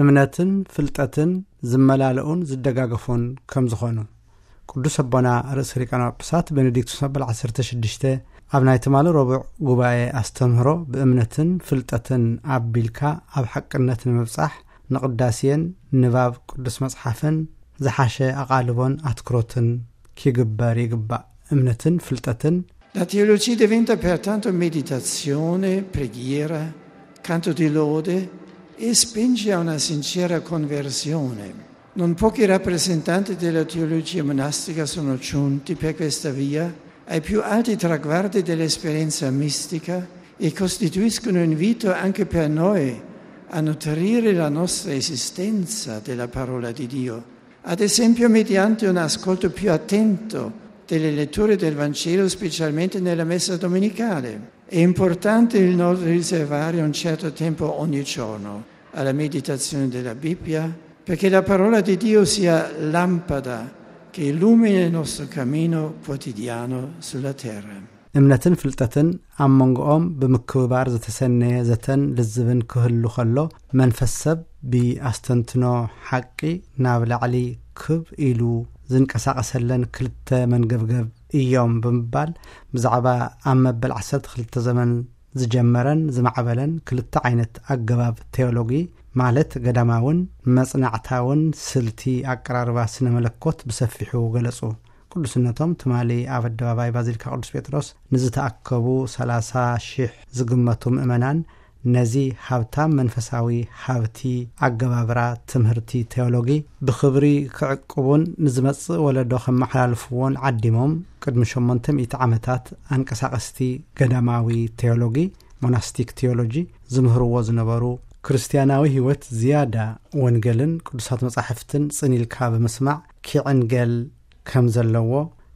እምነትን ፍልጠትን ዝመላለኡን ዝደጋገፉን ከም ዝኾኑ፣ ቅዱስ ኣቦና ርእሰ ሊቃነ ጳጳሳት ቤኔዲክቱስ መበል ዓሰርተ ሽዱሽተ ኣብ ናይ ትማሊ ረቡዕ ጉባኤ ኣስተምህሮ፣ ብእምነትን ፍልጠትን ኣቢልካ ኣብ ሓቅነት ንምብጻሕ፣ ንቕዳሴን ንባብ ቅዱስ መጽሓፍን ዝሓሸ ኣቓልቦን ኣትኩሮትን ኪግበር ይግባእ። እምነትን ፍልጠትን። La teologia diventa pertanto meditazione, preghiera, canto di lode e spinge a una sincera conversione. Non pochi rappresentanti della teologia monastica sono giunti per questa via ai più alti traguardi dell'esperienza mistica e costituiscono un invito anche per noi a nutrire la nostra esistenza della parola di Dio, ad esempio mediante un ascolto più attento delle letture del Vangelo, specialmente nella messa domenicale. È importante il non riservare un certo tempo ogni giorno alla meditazione della Bibbia, perché la parola di Dio sia lampada che illumina il nostro cammino quotidiano sulla terra. እምነትን ፍልጠትን ኣብ መንጎኦም ብምክብባር ዝተሰነየ ዘተን ልዝብን ክህሉ ከሎ፣ መንፈስ ሰብ ብኣስተንትኖ ሓቂ ናብ ላዕሊ ክብ ኢሉ ዝንቀሳቐሰለን ክልተ መንገብገብ እዮም ብምባል፣ ብዛዕባ ኣብ መበል ዓሰርተ ክልተ ዘመን ዝጀመረን ዝማዕበለን ክልተ ዓይነት ኣገባብ ቴዎሎጊ፣ ማለት ገዳማውን መጽናዕታውን ስልቲ ኣቀራርባ ስነ መለኮት ብሰፊሑ ገለጹ። ቅዱስነቶም ትማሊ ኣብ ኣደባባይ ባዚሊካ ቅዱስ ጴጥሮስ ንዝተኣከቡ ሰላሳ ሺሕ ዝግመቱ ምእመናን፣ ነዚ ሃብታም መንፈሳዊ ሃብቲ ኣገባብራ ትምህርቲ ቴዎሎጊ ብኽብሪ ክዕቅቡን ንዝመጽእ ወለዶ ከመሓላልፍዎን ዓዲሞም፣ ቅድሚ ሸሞንተ ሚእቲ ዓመታት ኣንቀሳቐስቲ ገዳማዊ ቴዎሎጊ፣ ሞናስቲክ ቴዎሎጂ፣ ዝምህርዎ ዝነበሩ፣ ክርስትያናዊ ህይወት ዝያዳ ወንጌልን ቅዱሳት መጻሕፍትን ጽን ኢልካ ብምስማዕ ክዕንገል ከም ዘለዎ፣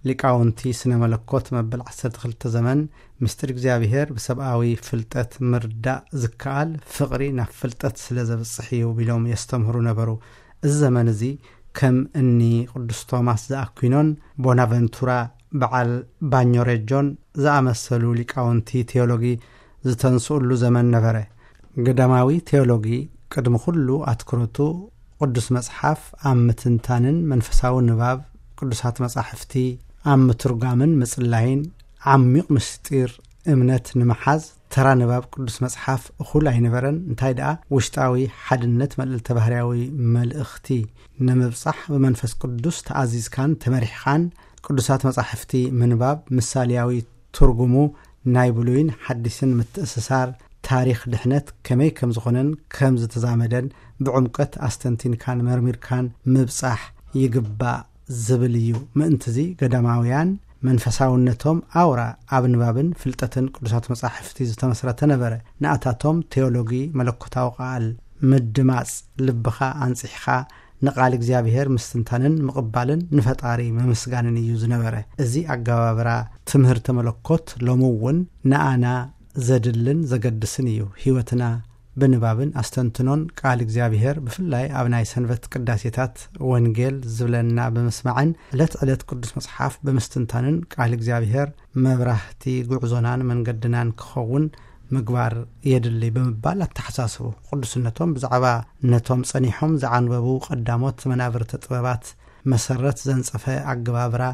ሊቃውንቲ ስነ መለኮት መበል ዓሰርተ ክልተ ዘመን፣ ምስጢር እግዚኣብሔር ብሰብኣዊ ፍልጠት ምርዳእ ዝከኣል ፍቕሪ ናብ ፍልጠት ስለ ዘብጽሕ እዩ ቢሎም የስተምህሩ ነበሩ። እዚ ዘመን እዚ ከም እኒ ቅዱስ ቶማስ ዘኣኩኖን ቦናቨንቱራ በዓል ባኞሬጆን ዝኣመሰሉ ሊቃውንቲ ቴዎሎጊ ዝተንስኡሉ ዘመን ነበረ። ገዳማዊ ቴዎሎጊ ቅድሚ ኩሉ ኣትኩሮቱ ቅዱስ መጽሓፍ ኣብ ምትንታንን መንፈሳዊ ንባብ ቅዱሳት መጻሕፍቲ ኣብ ምትርጓምን ምጽላይን፣ ዓሚቕ ምስጢር እምነት ንምሓዝ ተራ ንባብ ቅዱስ መጽሓፍ እኹል ኣይነበረን። እንታይ ደኣ፣ ውሽጣዊ ሓድነት መልእልተ ባህርያዊ መልእኽቲ ንምብጻሕ ብመንፈስ ቅዱስ ተኣዚዝካን ተመሪሕኻን ቅዱሳት መጻሕፍቲ ምንባብ፣ ምሳሌያዊ ትርጉሙ ናይ ብሉይን ሓዲስን ምትእስሳር፣ ታሪኽ ድሕነት ከመይ ከም ዝኾነን ከም ዝተዛመደን ብዕምቀት ኣስተንቲንካን መርሚርካን ምብጻሕ ይግባእ ዝብል እዩ። ምእንትዚ ገዳማውያን መንፈሳውነቶም ኣውራ ኣብ ንባብን ፍልጠትን ቅዱሳት መጻሕፍቲ ዝተመስረተ ነበረ። ንኣታቶም ቴዎሎጊ መለኮታዊ ቃል ምድማጽ፣ ልብኻ ኣንጺሕኻ ንቃል እግዚኣብሔር ምስትንታንን ምቕባልን ንፈጣሪ ምምስጋንን እዩ ዝነበረ። እዚ ኣገባብራ ትምህርቲ መለኮት ሎሚ እውን ንኣና ዘድልን ዘገድስን እዩ። ህይወትና ብንባብን ኣስተንትኖን ቃል እግዚኣብሔር፣ ብፍላይ ኣብ ናይ ሰንበት ቅዳሴታት ወንጌል ዝብለና ብምስማዕን ዕለት ዕለት ቅዱስ መጽሓፍ ብምስትንታንን ቃል እግዚኣብሔር መብራህቲ ጉዕዞናን መንገድናን ክኸውን ምግባር የድሊ ብምባል ኣተሓሳስቡ። ቅዱስነቶም ብዛዕባ ነቶም ጸኒሖም ዝዓንበቡ ቀዳሞት መናብርቲ ጥበባት መሰረት ዘንጸፈ ኣገባብራ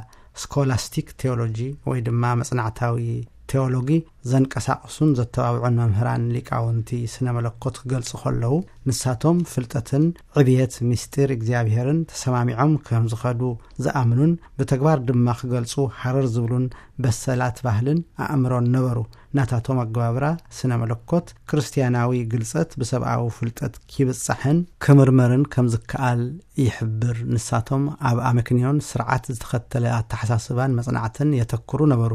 ስኮላስቲክ ቴዎሎጂ ወይ ድማ መጽናዕታዊ ቴዎሎጊ ዘንቀሳቕሱን ዘተባብዑን መምህራን ሊቃውንቲ ስነ መለኮት ክገልጹ ከለዉ፣ ንሳቶም ፍልጠትን ዕብየት ምስጢር እግዚኣብሔርን ተሰማሚዖም ከም ዝኸዱ ዝኣምኑን ብተግባር ድማ ክገልጹ ሃረር ዝብሉን በሰላት ባህልን ኣእምሮን ነበሩ። ናታቶም ኣገባብራ ስነ መለኮት ክርስትያናዊ ግልጸት ብሰብኣዊ ፍልጠት ኪብጻሕን ክምርመርን ከም ዝከኣል ይሕብር። ንሳቶም ኣብ ኣመክንዮን ስርዓት ዝተኸተለ ኣተሓሳስባን መጽናዕትን የተኩሩ ነበሩ።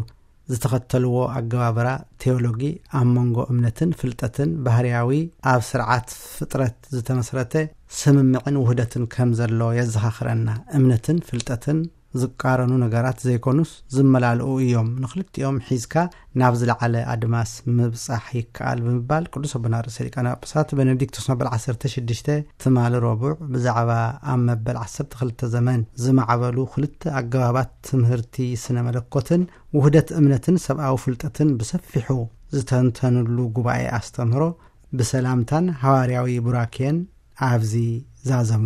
ዝተኸተልዎ ኣገባብራ ቴዎሎጊ ኣብ መንጎ እምነትን ፍልጠትን ባህርያዊ ኣብ ስርዓት ፍጥረት ዝተመስረተ ስምምዕን ውህደትን ከም ዘሎ የዘኻኽረና። እምነትን ፍልጠትን ዝቃረኑ ነገራት ዘይኮኑስ ዝመላልኡ እዮም። ንኽልቲኦም ሒዝካ ናብ ዝለዓለ ኣድማስ ምብጻሕ ይከኣል ብምባል ቅዱስ ኣቦና ርእሰ ሊቃነ ጳጳሳት ቤኔዲክቶስ መበል ዓሰርተ ሽዱሽተ ትማሊ ረቡዕ ብዛዕባ ኣብ መበል ዓሰርተ ክልተ ዘመን ዝማዕበሉ ክልተ ኣገባባት ትምህርቲ ስነ መለኮትን ውህደት እምነትን ሰብኣዊ ፍልጠትን ብሰፊሑ ዝተንተንሉ ጉባኤ ኣስተምህሮ ብሰላምታን ሃዋርያዊ ቡራኬን ኣብዚ ዛዘሙ።